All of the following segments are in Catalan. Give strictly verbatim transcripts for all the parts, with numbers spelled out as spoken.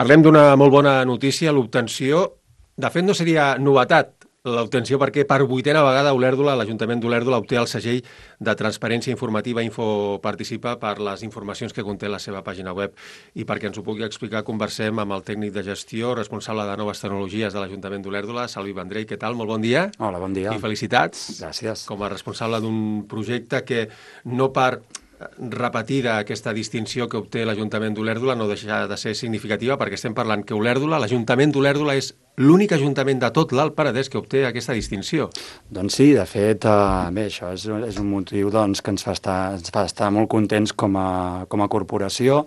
Parlem d'una molt bona notícia, l'obtenció. De fet, no seria novetat l'obtenció perquè per vuitena vegada Olèrdola, l'Ajuntament d'Olèrdola obté el segell de transparència informativa Info Participa per les informacions que conté la seva pàgina web. I perquè ens ho pugui explicar, conversem amb el tècnic de gestió, responsable de noves tecnologies de l'Ajuntament d'Olèrdola, Salvi Vendrell. Què tal? Molt bon dia. Hola, bon dia. I felicitats. Gràcies. Com a responsable d'un projecte que no per repetida aquesta distinció que obté l'Ajuntament d'Olèrdola no deixa de ser significativa perquè estem parlant que Olèrdola, l'Ajuntament d'Olèrdola és l'únic ajuntament de tot l'Alt Penedès que obté aquesta distinció. Doncs sí, de fet, eh, bé, això és, és un motiu doncs, que ens fa estar, ens fa estar molt contents com a, com a corporació,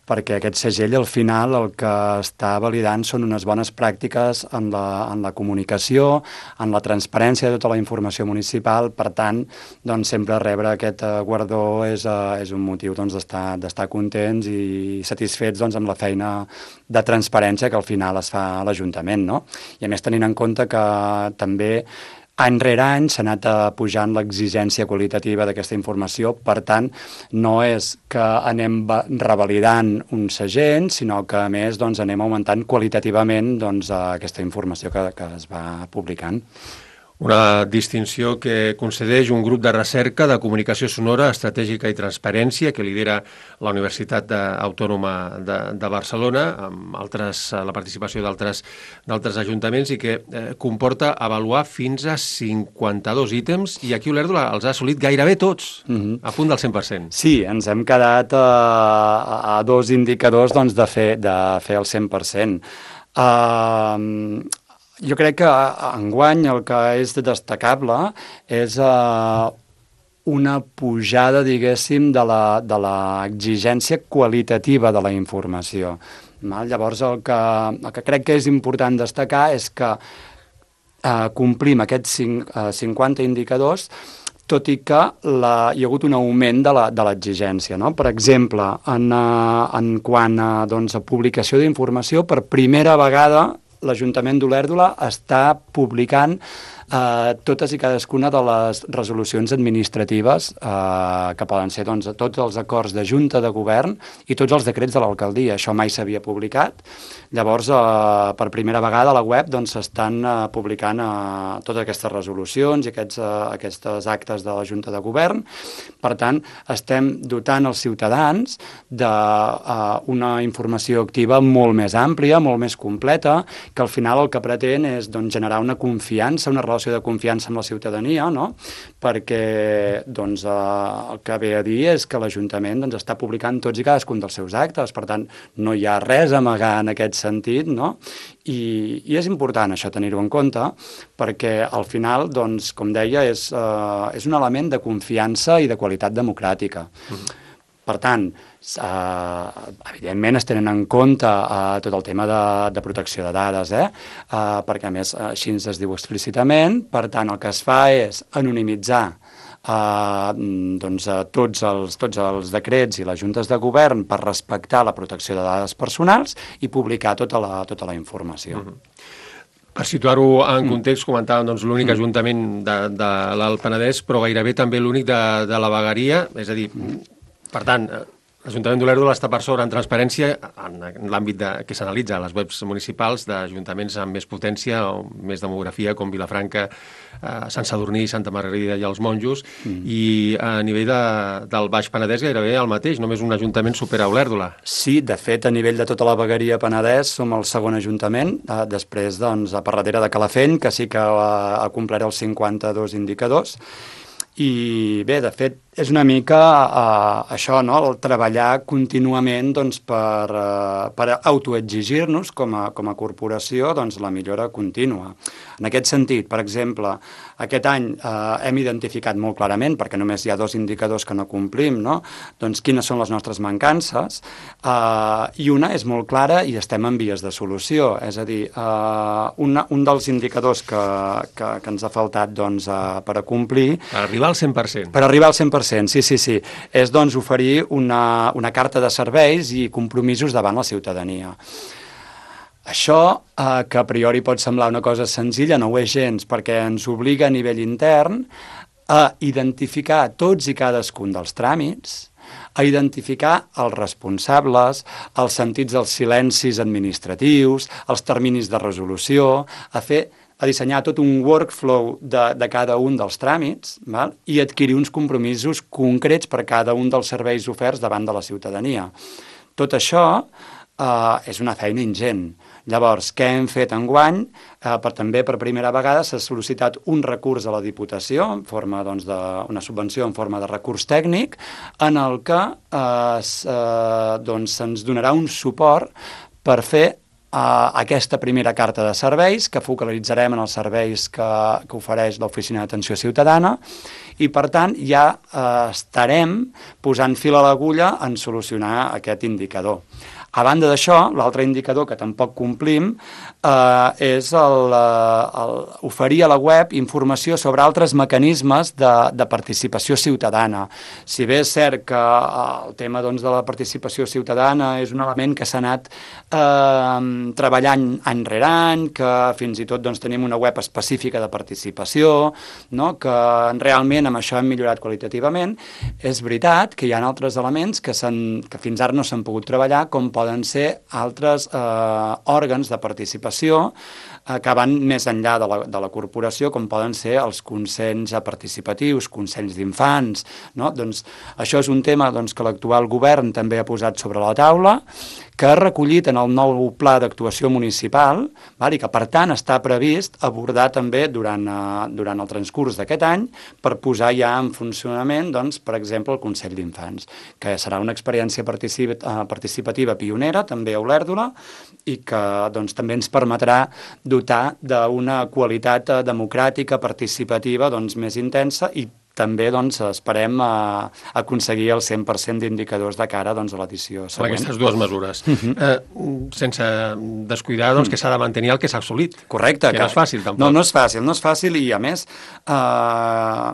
perquè aquest segell al final el que està validant són unes bones pràctiques en la, en la comunicació, en la transparència de tota la informació municipal. Per tant, doncs, sempre rebre aquest uh, guardó és, uh, és un motiu doncs, d'estar d'estar contents i satisfets doncs, amb la feina de transparència que al final es fa a l'Ajuntament, no? I a més tenint en compte que també any rere any s'ha anat pujant l'exigència qualitativa d'aquesta informació, per tant, no és que anem revalidant un segell, sinó que a més doncs, anem augmentant qualitativament doncs, aquesta informació que, que es va publicant. Una distinció que concedeix un grup de recerca de comunicació sonora, estratègica i transparència que lidera la Universitat Autònoma de, de Barcelona, amb altres, la participació d'altres d'altres ajuntaments i que eh, comporta avaluar fins a cinquanta-dos ítems i aquí Olèrdola els ha assolit gairebé tots, mm-hmm. a punt del cent per cent. Sí, ens hem quedat a, a dos indicadors doncs, de, fer, de fer el cent per cent. Uh, Jo crec que enguany el que és destacable és uh, una pujada, diguéssim, de la, de l'exigència qualitativa de la informació. Val? Llavors, el que, el que crec que és important destacar és que uh, complim aquests cinquanta indicadors, tot i que la, hi ha hagut un augment de l'exigència. No? Per exemple, en, uh, en quant a, doncs, a publicació d'informació, per primera vegada l'Ajuntament d'Olèrdola està publicant eh, totes i cadascuna de les resolucions administratives eh, que poden ser doncs, tots els acords de Junta de Govern i tots els decrets de l'alcaldia. Això mai s'havia publicat. Llavors, eh, per primera vegada a la web s'estan doncs, eh, publicant eh, totes aquestes resolucions i aquests, eh, aquestes actes de la Junta de Govern. Per tant, estem dotant els ciutadans d'una eh, informació activa molt més àmplia, molt més completa, que al final el que pretén és doncs, generar una confiança, una relació de confiança amb la ciutadania, no? Perquè doncs, eh, el que ve a dir és que l'Ajuntament doncs, està publicant tots i cadascun dels seus actes, per tant, no hi ha res a amagar en aquest sentit, no? I, i és important això tenir-ho en compte, perquè al final, doncs, com deia, és, eh, és un element de confiança i de qualitat democràtica. Mm-hmm. Per tant, eh, evidentment es tenen en compte eh, tot el tema de, de protecció de dades, eh? Eh, perquè a més així es diu explícitament, per tant el que es fa és anonimitzar eh, doncs, tots, els, tots els decrets i les juntes de govern per respectar la protecció de dades personals i publicar tota la, tota la informació. Mm-hmm. Per situar-ho en context, comentàvem doncs, l'únic mm. ajuntament de, de l'Alt Penedès, però gairebé també l'únic de, de la Vegueria, és a dir, per tant, l'Ajuntament d'Olèrdola està per sobre en transparència en l'àmbit de, que s'analitza a les webs municipals d'ajuntaments amb més potència o més demografia, com Vilafranca, eh, Sant Sadurní, Santa Margarida i els Monjos, mm. i a nivell de, del Baix Penedès gairebé el mateix, només un ajuntament supera Olèrdola. Sí, de fet, a nivell de tota la vegueria Penedès som el segon ajuntament, eh, després, doncs, a per darrere de Calafell, que sí que ha, ha complert els cinquanta-dos indicadors, i bé, de fet, és una mica uh, això, no? El treballar contínuament doncs, per, uh, per autoexigir-nos com a, com a corporació doncs, la millora contínua. En aquest sentit, per exemple, aquest any uh, hem identificat molt clarament, perquè només hi ha dos indicadors que no complim, no? Doncs quines són les nostres mancances, uh, i una és molt clara i estem en vies de solució. És a dir, uh, una, un dels indicadors que, que, que ens ha faltat doncs, uh, per a complir... Per arribar al cent per cent. Per arribar al cent per cent, sí, sí, sí. És, doncs, oferir una, una carta de serveis i compromisos davant la ciutadania. Això, eh, que a priori pot semblar una cosa senzilla, no ho és gens, perquè ens obliga a nivell intern a identificar tots i cadascun dels tràmits, a identificar els responsables, els sentits dels silencis administratius, els terminis de resolució, a fer a dissenyar tot un workflow de, de cada un dels tràmits, val? I adquirir uns compromisos concrets per cada un dels serveis oferts davant de la ciutadania. Tot això eh, és una feina ingent. Llavors, què hem fet enguany? Eh, per, també per primera vegada s'ha sol·licitat un recurs a la Diputació en forma doncs, d'una subvenció en forma de recurs tècnic en el que eh, s, eh, doncs, se'ns donarà un suport per fer Uh, aquesta primera carta de serveis que focalitzarem en els serveis que, que ofereix l'Oficina d'Atenció Ciutadana i, per tant, ja uh, estarem posant fil a l'agulla en solucionar aquest indicador. A banda d'això, l'altre indicador que tampoc complim eh, és el, el, oferir a la web informació sobre altres mecanismes de, de participació ciutadana. Si bé és cert que el tema doncs, de la participació ciutadana és un element que s'ha anat eh, treballant any rere any, que fins i tot doncs, tenim una web específica de participació, no? Que realment amb això hem millorat qualitativament, és veritat que hi ha altres elements que, que fins ara no s'han pogut treballar, com poden ser altres eh, òrgans de participació eh, que van més enllà de la, de la corporació, com poden ser els consells participatius, consells d'infants, no? Doncs això és un tema doncs, que l'actual govern també ha posat sobre la taula, que ha recollit en el nou pla d'actuació municipal, val? I que per tant està previst abordar també durant, eh, durant el transcurs d'aquest any per posar ja en funcionament, doncs, per exemple, el Consell d'Infants, que serà una experiència particip participativa pionera, també a Olèrdola, i que doncs, també ens permetrà dotar d'una qualitat democràtica, participativa doncs, més intensa i també doncs, esperem uh, aconseguir el cent per cent d'indicadors de cara doncs, a l'edició següent. Aquestes dues mesures. Uh-huh. eh, sense descuidar doncs, que s'ha de mantenir el que s'ha assolit. Correcte. Que, que no és fàcil, tampoc. No, no és fàcil, no és fàcil i, a més, eh,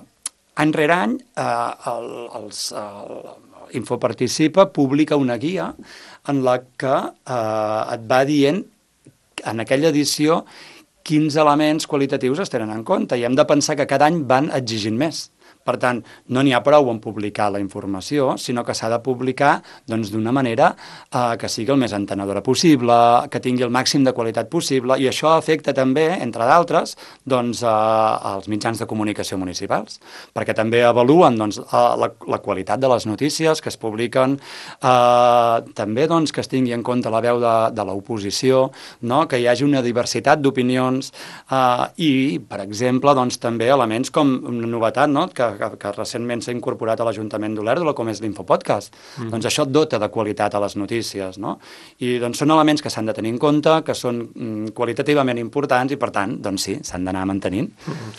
any rere any, eh, el, els, el Infoparticipa publica una guia en la que eh, et va dient en aquella edició quins elements qualitatius es tenen en compte i hem de pensar que cada any van exigint més. Per tant, no n'hi ha prou en publicar la informació, sinó que s'ha de publicar doncs, d'una manera eh, que sigui el més entenedora possible, que tingui el màxim de qualitat possible, i això afecta també, entre d'altres, doncs, eh, els mitjans de comunicació municipals, perquè també avaluen doncs, eh, la, la qualitat de les notícies que es publiquen, eh, també doncs, que es tingui en compte la veu de, de l'oposició, no? Que hi hagi una diversitat d'opinions eh, i, per exemple, doncs, també elements com una novetat, no? que Que, que recentment s'ha incorporat a l'Ajuntament d'Olèrdola, com és l'Infopodcast. Mm. Doncs això dota de qualitat a les notícies, no? I doncs són elements que s'han de tenir en compte, que són mm, qualitativament importants i, per tant, doncs sí, s'han d'anar mantenint. Mm.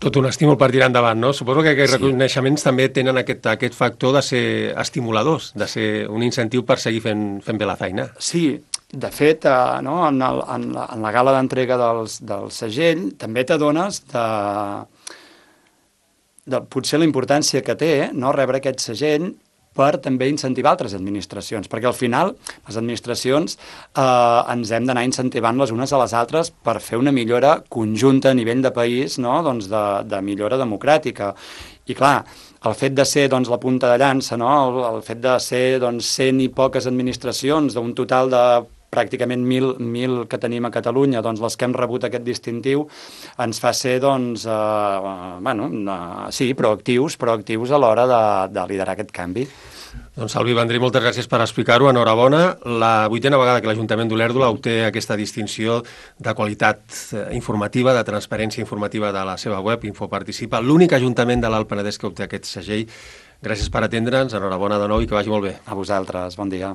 Tot un estímul per tirar endavant, no? Suposo que aquests sí. reconeixements també tenen aquest, aquest factor de ser estimuladors, de ser un incentiu per seguir fent, fent bé la feina. Sí, de fet, eh, no, en, el, en, la, en la gala d'entrega dels, del segell també t'adones de... de potser la importància que té no, rebre aquest segell per també incentivar altres administracions, perquè al final les administracions eh, ens hem d'anar incentivant les unes a les altres per fer una millora conjunta a nivell de país, no? Doncs de, de millora democràtica. I clar, el fet de ser doncs, la punta de llança, no? el, el fet de ser doncs, cent i poques administracions d'un total de pràcticament mil, mil que tenim a Catalunya, doncs les que hem rebut aquest distintiu, ens fa ser, doncs, eh, bueno, eh, sí, proactius, proactius a l'hora de, de liderar aquest canvi. Doncs, Salvi Vendrell, moltes gràcies per explicar-ho. Enhorabona. La vuitena vegada que l'Ajuntament d'Olèrdola obté aquesta distinció de qualitat informativa, de transparència informativa de la seva web, Infoparticipa, l'únic ajuntament de l'Alt Penedès que obté aquest segell. Gràcies per atendre'ns, enhorabona de nou i que vagi molt bé. A vosaltres, bon dia.